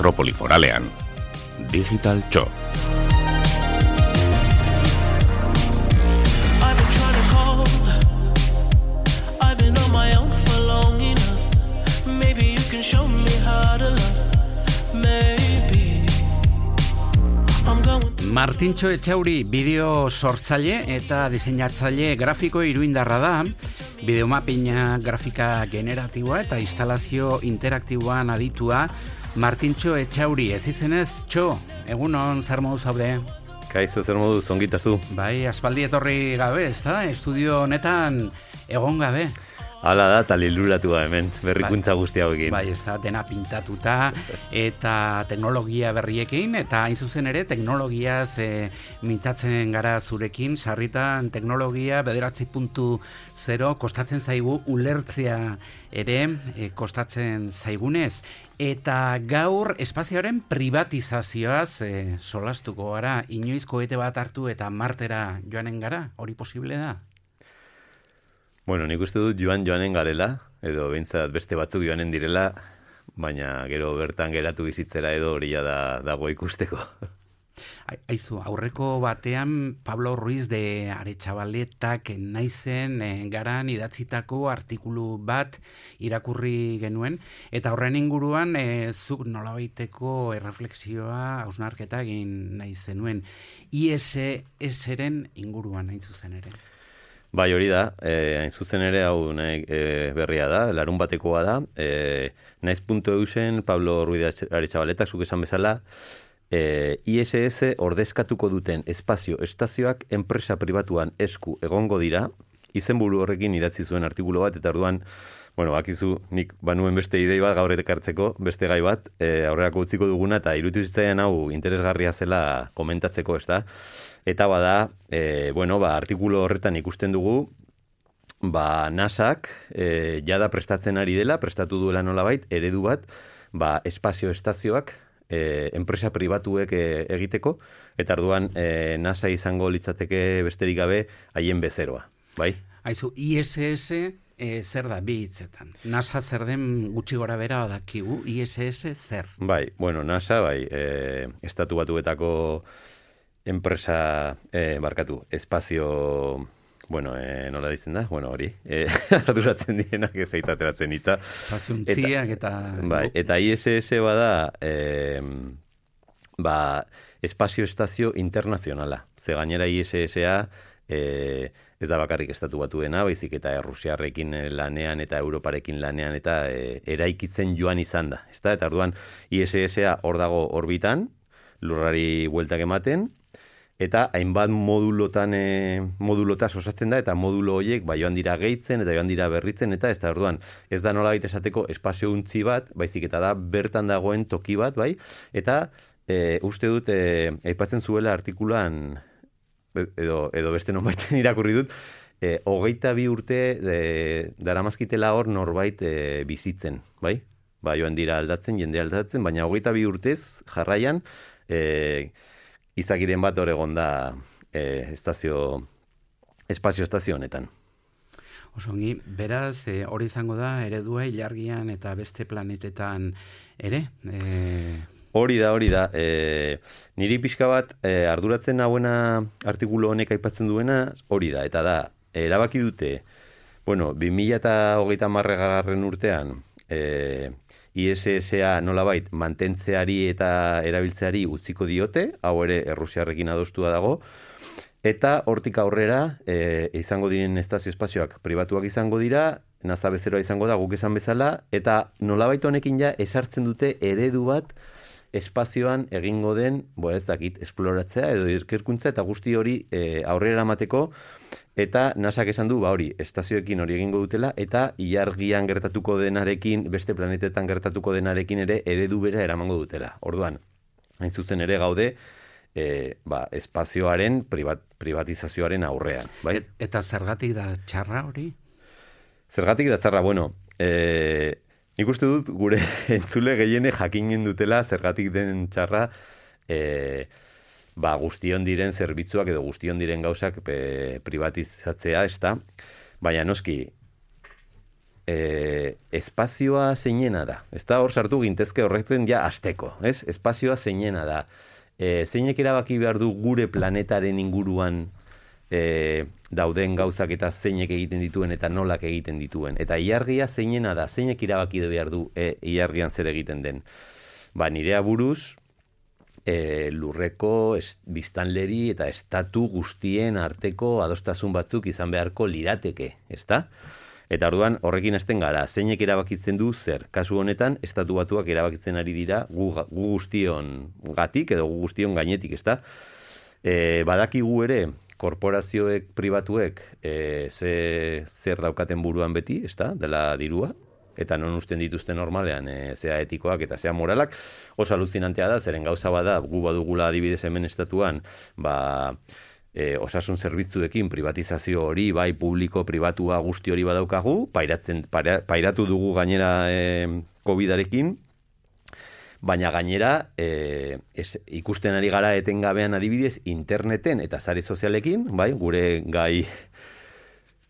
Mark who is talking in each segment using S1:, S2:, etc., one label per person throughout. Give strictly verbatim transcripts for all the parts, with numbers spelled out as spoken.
S1: metropoli foralean. Digital Txo.
S2: Martintxo Etxauri bideo sortzaile eta diseinatzaile grafiko iruindarra da, bideomapina grafika generatiboa eta instalazio interaktiboan aditua. Martintxo Etxauri, ez izenez, Txo, egunon, zer modu zaude?
S3: Kaizo, zer modu, zongitazu.
S2: Bai, aspaldi etorri gabe, ez da? Estudio honetan egon gabe.
S3: Hala da, eta liluratu da hemen, berrikuntza bai, guzti hauekin.
S2: Bai, ez da, dena pintatuta, eta teknologia berriekin, eta hain zuzen ere, teknologiaz e, mintzatzen gara zurekin, sarritan teknologia bederatzi puntu zero kostatzen zaigu ulertzea ere, e, kostatzen zaigunez. Eta gaur espazioaren privatizazioaz e, solastuko gara, inoiz kohete bat hartu eta Martera joanen gara, hori posible da?
S3: Bueno, nik uste dut joan joanen garela, edo behintzat beste batzuk joanen direla, baina gero bertan geratu bizitzera edo hori da dago ikusteko.
S2: Aizu, aurreko batean Pablo Ruiz de Aretxabaletak naizen e, garan idatzitako artikulu bat irakurri genuen, eta horren inguruan e, zuk nolabaiteko erreflexioa, hausnarketa egin nahi zenuen. I S S-ren inguruan hain zuzen ere.
S3: Bai, hori da, eh, hain zuzen ere hau nahi, eh, berria da, larun batekoa da, eh, naiz puntu eusen Pablo Ruiz de Aretxabaletak zuk esan bezala, eh, I S S ordezkatuko duten espazio estazioak enpresa pribatuan esku egongo dira, izenburu horrekin idatzi zuen artikulu bat, eta orduan, bueno, bakizu, nik banuen beste idei bat gaur ekartzeko, beste gai bat, eh, aurrerako utziko duguna, eta iruditu zitzaidan hau interesgarria zela komentatzeko, ez da? Eta bada, e, bueno, ba, artikulu horretan ikusten dugu, ba, nasak e, jada prestatzen ari dela, prestatu duela nolabait, eredu bat, ba, espazio estazioak e, enpresa pribatuek e, egiteko, eta orduan e, NASA izango litzateke besterik gabe haien bezeroa, bai?
S2: Aizu, I S S e, zer da bi hitzetan? NASA zer den gutxi gora bera badakigu, I S S zer?
S3: Bai, bueno, NASA, bai, e, estatu batuetako enpresa, eh, barkatu, espazio, bueno, eh, nola ditzen da? Bueno, hori, eh, arduratzen dienak ez aitateratzen hitza.
S2: Espaziontziak eta...
S3: Bai, eta I S S bada, eh, ba, espazio estazio internazionala. Ze gainera I S S-a, eh, ez da bakarrik estatu batuena, baizik eta Errusiarrekin lanean eta Europarekin lanean eta eh, eraikitzen joan izan da. Ezta? Eta orduan I S S-a hor dago orbitan, lurrari bueltak ematen, eta hainbat modulotan e, modulotaz osatzen da, eta modulo horiek ba, joan dira gehitzen, eta joan dira berritzen, eta ez da orduan, ez da nolabait esateko espazio untzi bat, baizik eta da bertan dagoen toki bat, bai, eta e, uste dut, e, aipatzen zuela artikulan, edo, edo beste nonbaiten irakurri dut, e, hogeita bi urte e, daramazkitela hor norbait e, bizitzen, bai? Ba, joan dira aldatzen, jende aldatzen, baina hogeita bi urtez jarraian, e, izakiren bat hor egon da eh, estazio, espazio estazio honetan.
S2: Osongi, beraz, e, hori izango da eredua ilargian eta beste planetetan ere? E...
S3: Hori da, hori da. E, niri pixka bat e, arduratzen hauena artikulu honek aipatzen duena, hori da. Eta da, erabaki dute, bueno, bi mila hogeita hamargarren urtean, e, I S S-a nolabait mantentzeari eta erabiltzeari utziko diote, hau ere Errusiarrekin adostua dago, eta hortik aurrera e, izango diren estazio espazioak pribatuak izango dira, NASA bezeroa izango da guk esan bezala, eta nolabait honekin ja esartzen dute eredu bat espazioan egingo den, bo ez dakit, esploratzea edo ikerkuntza eta guzti hori e, aurrera eramateko. Eta nasak esan du, ba hori, estazioekin hori egingo dutela, eta ilargian gertatuko denarekin, beste planetetan gertatuko denarekin ere eredu bera eramango dutela. Orduan, hain zuzen ere gaude, e, ba, espazioaren privat, privatizazioaren aurrean. Bai?
S2: Et, eta zergatik da txarra hori?
S3: Zergatik da txarra, bueno, e, nik uste dut gure entzule gehiene jakinen dutela zergatik den txarra, e, ba, guztion diren zerbitzuak edo guztion diren gauzak e, privatizatzea, ez da? Baina noski, e, espazioa zeinena da. Ez da hor sartu gintezke horretzen ja asteko, ez? Espazioa zeinena da. E, zeinek erabaki behar du gure planetaren inguruan e, dauden gauzak eta zeinek egiten dituen eta nolak egiten dituen. Eta ilargia zeinena da, zeinek erabaki behar du e, ilargian zer egiten den. Ba, nirea buruz, e, lurreko est, biztanleri eta estatu guztien arteko adostasun batzuk izan beharko lirateke, ezta? Eta orduan horrekin hasten gara, zeinek erabakitzen du zer. Kasu honetan, estatu batuak erabakitzen ari dira gu, gu guztion gatik edo gu guztion gainetik, ezta? E, badakigu ere, korporazioek, pribatuek, e, ze, zer daukaten buruan beti, ezta? Dela dirua. Eta non usten dituzten normalean, e, zea etikoak eta zea moralak, oso aluzinantea da, zeren gauza bada, gu badugula adibidez hemen estatuan, ba, e, osasun zerbitzuekin privatizazio hori, bai, publiko, pribatua, guzti hori badaukagu, pairatzen, paira, pairatu dugu gainera e, covidarekin, baina gainera e, es, ikusten ari gara etengabean adibidez interneten eta sare sozialekin, bai, gure gai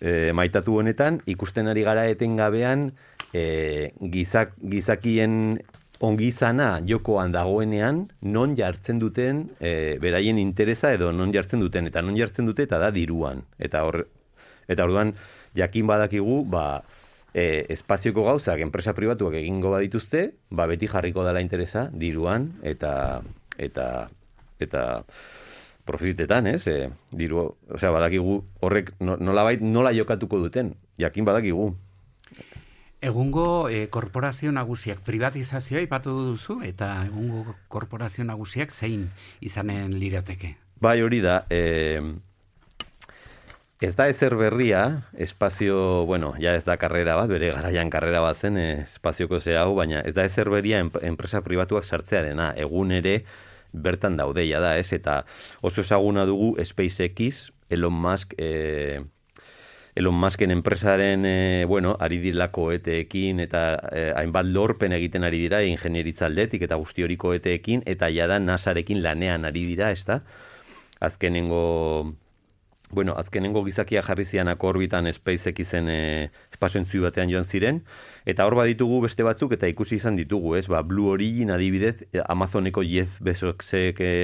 S3: e, maitatu honetan, ikusten ari gara etengabean E, gizak, gizakien ongizana jokoan dagoenean non jartzen duten e, beraien interesa edo non jartzen duten eta non jartzen dute eta da diruan eta hor, eta orduan jakin badakigu ba, e, espazioko gauzak enpresa pribatuak egingo badituzte ba, beti jarriko dela interesa diruan eta eta eta profitetan, ez? E, diru, osea, badakigu horrek nolabait nola jokatuko duten jakin badakigu.
S2: Egungo e, korporazio nagusiak privatizazioa ipatu duzu eta egungo korporazio nagusiak zein izanen lirateke?
S3: Bai, hori da. E, ez da ezer berria, espazio, bueno, ja ez da karrera bat, bere garaian karrera bat zen espazioko ze hau, baina ez da ezer berria enpresa pribatuak sartzearena. Egun ere bertan daudeia da, ez? Eta oso ezaguna dugu SpaceX, Elon Musk, e, Elon Musken enpresaren, e, bueno, ari dira koeteekin eta e, hainbat lorpen egiten ari dira ingenieritza aldetik eta guzti hori koeteekin eta jada NASArekin lanean ari dira, ezta? Azkenengo, bueno, azkenengo gizakia jarri zianako orbitan SpaceXen e, espazioentzu batean joan ziren eta hor baditugu beste batzuk eta ikusi izan ditugu, ez? Ba, Blue Origin adibidez, Amazoneko Jeff Bezosek e,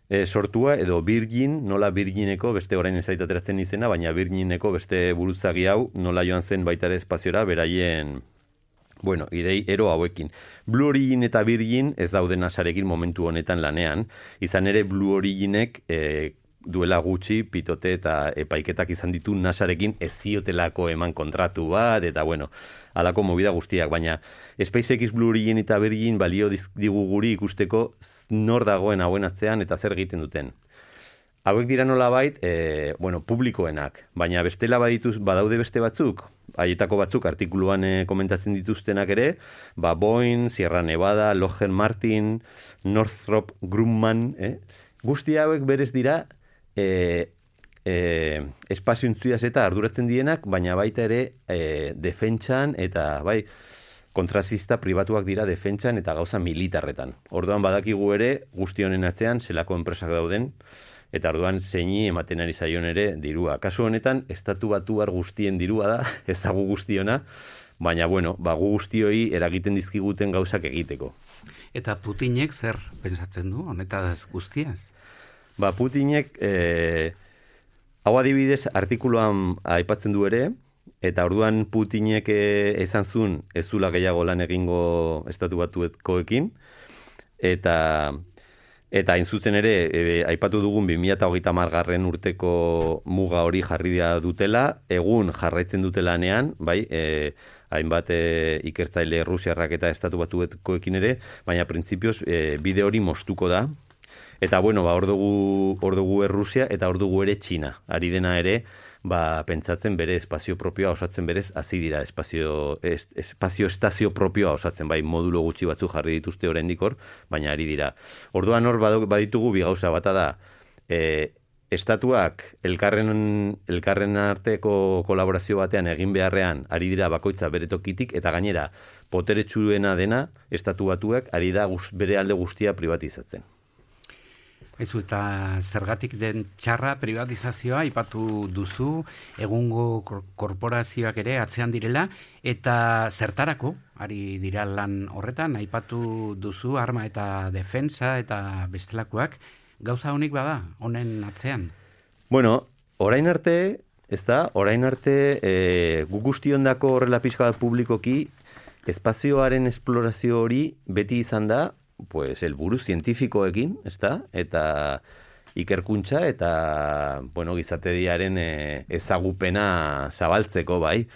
S3: E, sortua, edo Virgin, nola Virgineko, beste orain ezait ateratzen izena, baina Virgineko beste buruzagi hau, nola joan zen baita ere espaziora, beraien, bueno, idei ero hauekin. Blue Origin eta Virgin ez daude NASArekin momentu honetan lanean, izan ere Blue Originek e, duela gutxi pitote eta epaiketak izan ditu NASArekin ez ziotelako eman kontratu bat, eta bueno, halako movida guztiak, baina SpaceX, Blue Origin eta Virgin balio digu guri ikusteko nor dagoen hauen atzean eta zer egiten duten. Hauek dira nolabait, e, bueno, publikoenak, baina bestela badituz, badaude beste batzuk, haietako batzuk artikuluan e, komentatzen dituztenak ere, ba Boeing, Sierra Nevada, Lockheed Martin, Northrop Grumman, eh? Guzti hauek berez dira e, E, espazio intzuiaz eta arduratzen dienak, baina baita ere e, defentsan eta bai kontrazista pribatuak dira defentsan eta gauza militarretan. Orduan badakigu ere guzti honen atzean zelako enpresak dauden eta orduan zeini ematen ari zaion ere dirua. Kasu honetan estatu batuar guztien dirua da, ez da gu guztiona, baina bueno, ba gu guztioi eragiten dizkiguten gauzak egiteko.
S2: Eta Putinek zer pentsatzen du honetaz guztiaz?
S3: Ba Putinek e, hau adibidez, artikuluan aipatzen du ere, eta orduan Putinek esan zuen ez zula gehiago lan egingo estatu batuekoekin, eta eta hain zuzen ere, e, aipatu dugun bi mila hogeita hamargarren urteko muga hori jarri dutela, egun jarraitzen dutelanean, bai, e, hainbat e, ikertzaile Rusiarrak eta estatu batuekoekin ere, baina printzipioz e, bide hori mostuko da, eta bueno, ba, hor dugu, hor dugu Errusia eta hor dugu ere Txina. Ari dena ere, ba, pentsatzen bere espazio propioa osatzen berez, hasi dira espazio, es, espazio estazio propioa osatzen, bai, modulo gutxi batzu jarri dituzte oraindik hor, baina ari dira. Orduan hor baditugu bi gauza bata da, e, estatuak elkarren, elkarren arteko kolaborazio batean egin beharrean ari dira bakoitza bere tokitik, eta gainera, poteretsuena dena, estatu batuak ari da guz, bere alde guztia privatizatzen.
S2: Ezu eta zergatik den txarra privatizazioa aipatu duzu, egungo korporazioak ere atzean direla, eta zertarako, ari dira lan horretan, aipatu duzu arma eta defensa eta bestelakoak, gauza honik bada, honen atzean?
S3: Bueno, orain arte, ez da, orain arte, e, gu guztiondako horrela pixka bat publikoki, espazioaren esplorazio hori beti izan da, pues, helburu zientifikoekin, ez da, eta ikerkuntza eta, bueno, gizatediaren e, ezagupena zabaltzeko, bai.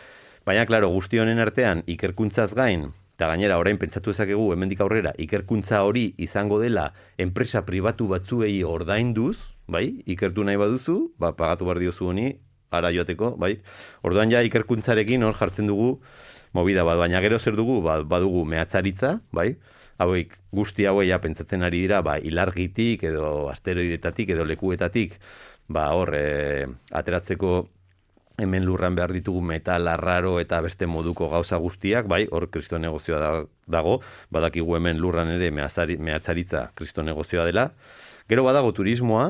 S3: Baina, klaro, guzti honen artean, ikerkuntzaz gain, eta gainera, orain pentsatu ezakegu, hemendik aurrera, ikerkuntza hori izango dela enpresa pribatu batzuei ordainduz, bai, ikertu nahi baduzu, ba, pagatu behar diozu honi, ara joateko, bai. Orduan ja, ikerkuntzarekin hor jartzen dugu movida bat, baina gero zer dugu, ba, badugu mehatzaritza, bai, hauek guzti hauei ja pentsatzen ari dira, ba, ilargitik edo asteroidetatik edo lekuetatik, ba, hor, e, ateratzeko hemen lurran behar ditugu metal arraro eta beste moduko gauza guztiak, bai, hor kristo negozioa da, dago, badakigu hemen lurran ere mehatzaritza kristo negozioa dela. Gero badago turismoa,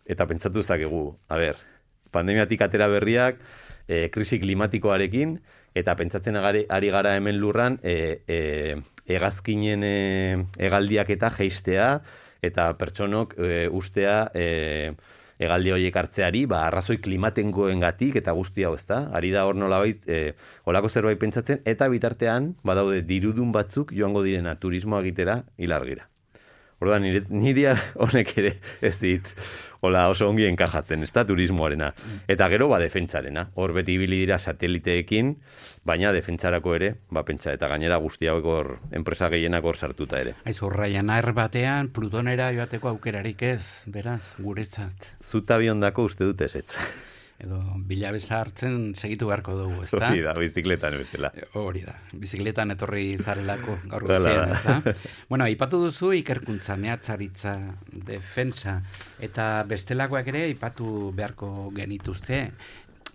S3: eta pentsatu zakegu, a ber, pandemiatik atera berriak, e, krisi klimatikoarekin, eta pentsatzen agari, ari gara hemen lurran, e, e, hegazkinen e, hegaldiak eta jeistea, eta pertsonok e, ustea e, hegaldi horiek hartzeari, ba, arrazoi klimatengoengatik eta guzti hau, ezta? Ari da hor nolabait, e, holako zerbait pentsatzen, eta bitartean, badaude dirudun batzuk joango direna turismoa egitera hilargira. Orduan, nire, nire honek ere ez dit, hola oso ongi enkajatzen, ez da, turismoarena. Eta gero, ba, defentsarena. Hor beti ibili dira sateliteekin, baina defentsarako ere, ba, pentsa, eta gainera guzti hauek hor, enpresa gehienak hor sartuta ere.
S2: Aizu, Ryanair batean, Plutonera joateko aukerarik ez, beraz, guretzat.
S3: Zuta biondako uste dut ez ez.
S2: Edo bilabesa hartzen segitu beharko dugu, ez da?
S3: Hori da, bizikletan bezala.
S2: Hori da, bizikletan etorri zarelako gaur gozian, ez da? Bueno, aipatu duzu ikerkuntza, mehatzaritza, defensa, eta bestelakoak ere aipatu beharko genituzte.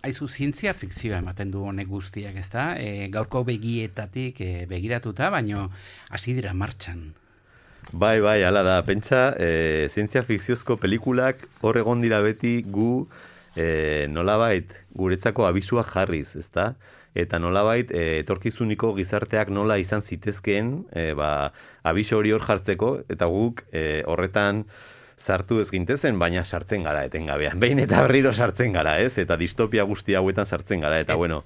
S2: Aizu, zientzia fikzioa ematen du honek guztiak, ez da? E, gaurko begietatik e, begiratuta, baino hasi dira martxan.
S3: Bai, bai, hala da, pentsa, e, zientzia fikziozko pelikulak hor egon dira beti gu E, nolabait guretzako abisuak jarriz, ezta? Eta nolabait e, etorkizuniko gizarteak nola izan zitezkeen, e, ba, abiso hori hor jartzeko, eta guk e, horretan sartu ez gintezen, baina sartzen gara etengabean. Behin eta berriro sartzen gara, ez? Eta distopia guzti hauetan sartzen gara, eta
S2: Et,
S3: bueno.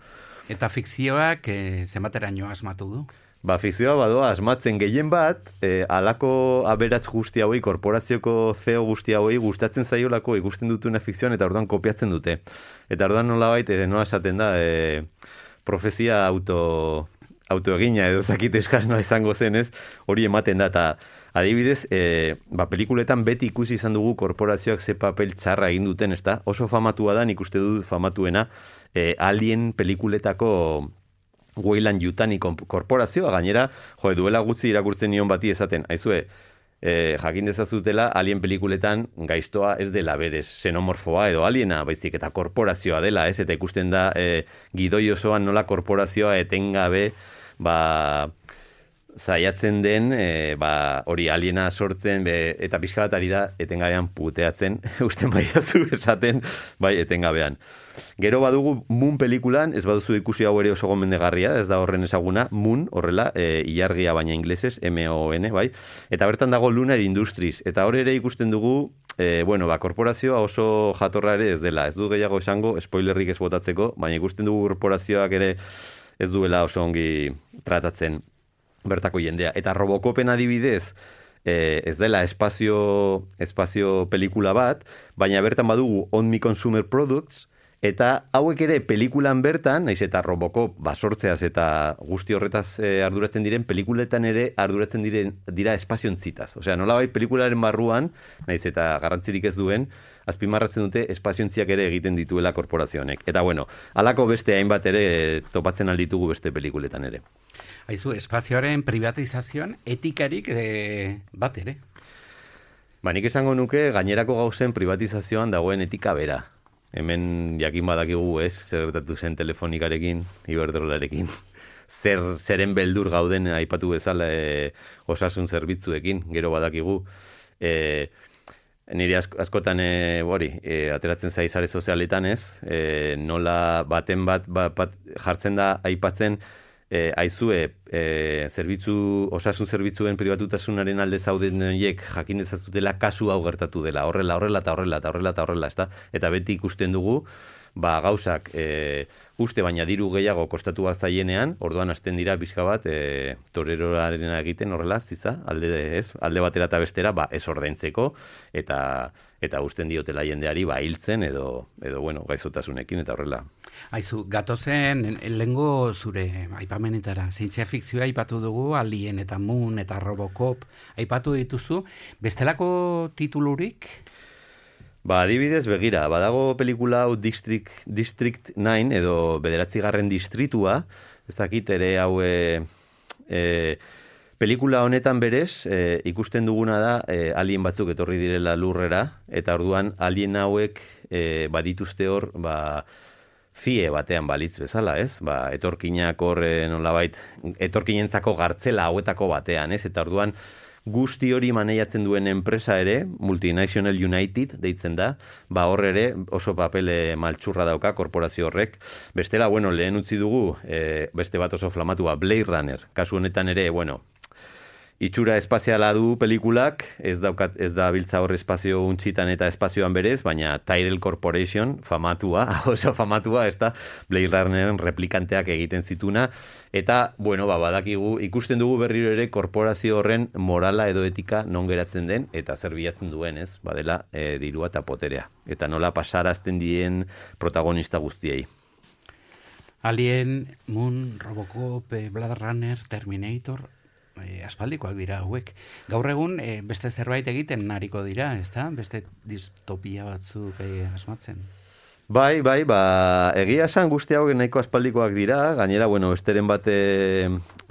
S2: Eta fikzioak e, zenbateraino asmatu du?
S3: Ba, fikzioa badoa asmatzen gehien bat, e, alako aberats guzti hauei, korporazioko C E O guzti hauei gustatzen zaiolako ikusten dutuna fikzioan eta orduan kopiatzen dute. Eta orduan nolabait, e, nola esaten da, e, profezia auto, autoegina edo zakit eskasnoa izango zenez, hori ematen da, eta adibidez, e, ba, pelikuletan beti ikusi izan dugu korporazioak ze papel txarra egin duten, ez da? Oso famatua da, nik uste dut famatuena, e, Alien pelikuletako Weyland Yutani korporazioa, gainera, jo, duela gutxi irakurtzen nion bati esaten, aizue, e, jakin dezazutela alien pelikuletan gaiztoa ez dela berez xenomorfoa edo aliena, baizik eta korporazioa dela, ez? Eta ikusten da e, gidoi osoan nola korporazioa etengabe, ba, zaiatzen den, e, ba, hori aliena sortzen, be, eta pixka bat ari da etengabean puteatzen, usten bai dazu esaten, bai, etengabean. Gero badugu Moon pelikulan, ez baduzu ikusi hau ere oso gomendegarria, ez da horren ezaguna, Moon, horrela, e, ilargia baina inglesez, M O N, bai, eta bertan dago Lunar Industries, eta hor ere ikusten dugu, e, bueno, ba, korporazioa oso jatorra ere ez dela, ez du gehiago esango, spoilerrik ez botatzeko, baina ikusten dugu korporazioak ere ez duela oso ongi tratatzen bertako jendea. Eta Robocopen adibidez, eh, ez dela espazio, espazio pelikula bat, baina bertan badugu On Me Consumer Products, eta hauek ere pelikulan bertan, naiz eta Robocop basortzeaz eta guzti horretaz eh, arduratzen diren, pelikuletan ere arduratzen diren dira espaziontzitaz. Osea, nolabait pelikularen barruan, naiz eta garrantzirik ez duen, azpimarratzen dute espaziontziak ere egiten dituela korporazionek. Eta bueno, halako beste hainbat ere topatzen alditugu beste pelikuletan ere.
S2: Aizu, espazioaren privatizazioan etikarik e, bat ere?
S3: Ba, nik esango nuke gainerako gauzen privatizazioan dagoen etika bera. Hemen jakin badakigu, ez, zer gertatu zen telefonikarekin, Iberdrolarekin. Zer, zeren beldur gauden aipatu bezala e, osasun zerbitzuekin, gero badakigu. E, nire ask, askotan e, hori, e, ateratzen zai sare sozialetan ez, e, nola baten bat, bat, bat jartzen da aipatzen, e, aizue, e, zerbitzu, osasun zerbitzuen pribatutasunaren alde zauden horiek jakin dezazutela kasu hau gertatu dela, horrela, horrela, eta horrela, eta horrela, eta horrela, ezta? Eta beti ikusten dugu, ba, gauzak e, uste baina diru gehiago kostatu zaienean, orduan hasten dira bizka bat e, toreroraren egiten horrela, ziza, alde, ez, alde batera eta bestera, ba, ez ordaintzeko, eta eta usten diotela jendeari ba hiltzen edo edo bueno, gaizotasunekin eta horrela.
S2: Aizu, gatozen lengo zure aipamenetara, zientzia fikzioa aipatu dugu, Alien eta Moon eta Robocop aipatu dituzu, bestelako titulurik?
S3: Ba, adibidez, begira, badago pelikula hau District, District nine edo bederatzigarren distritua, ez dakit ere hau e, e, pelikula honetan berez, e, ikusten duguna da e, alien batzuk etorri direla lurrera, eta orduan alien hauek e, badituzte hor, ba, zie batean balitz bezala, ez? Ba, etorkinak hor e, nolabait, etorkinentzako gartzela hauetako batean, ez? Eta orduan, guzti hori maneiatzen duen enpresa ere, Multinational United deitzen da, ba hor ere oso papele maltsurra dauka korporazio horrek. Bestela, bueno, lehen utzi dugu, e, beste bat oso flamatua, Blade Runner. Kasu honetan ere, bueno, itxura espaziala du pelikulak, ez daukat, ez da biltza hor espazio untxitan eta espazioan berez, baina Tyrell Corporation famatua, oso famatua, ez da Blade Runneren replikanteak egiten zituna, eta, bueno, ba, badakigu, ikusten dugu berriro ere korporazio horren morala edo etika non geratzen den, eta zer bilatzen duen, ez, badela e, dirua eta poterea, eta nola pasarazten dien protagonista guztiei.
S2: Alien, Moon, Robocop, Blade Runner, Terminator, E, aspaldikoak dira hauek. Gaur egun e, beste zerbait egiten nariko dira, ezta? Beste distopia batzuk e, asmatzen.
S3: Bai, bai, ba, egia esan guzti hauek nahiko aspaldikoak dira, gainera, bueno, besteren bate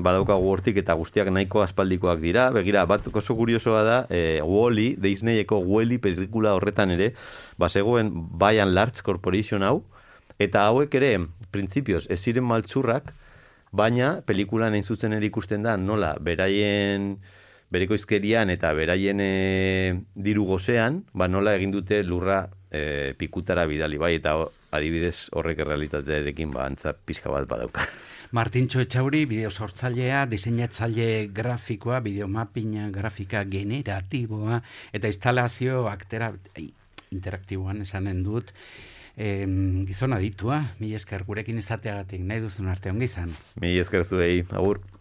S3: badaukagu hortik eta guztiak nahiko aspaldikoak dira. Begira, bat oso kuriosoa da, e, Wall-E, Disneyeko Wall-E pelikula horretan ere, bazegoen By and Large Corporation hau, eta hauek ere, printzipioz, ez ziren maltsurrak, baina pelikulan hain zuzen ere ikusten da nola beraien berekoizkerian eta beraien e, diru gozean, ba nola egin dute lurra e, pikutara bidali, bai, eta adibidez horrek errealitatearekin ba antza pixka bat badauka.
S2: Martintxo Etxauri, bideo sortzailea, diseinatzaile grafikoa, bideomapping grafika generatiboa, eta instalazio aktera interaktiboan esanen dut. Eh, gizona ditua, mi esker gurekin izateagatik, nahi duzun arte ongi izan.
S3: Mi esker zuei, agur.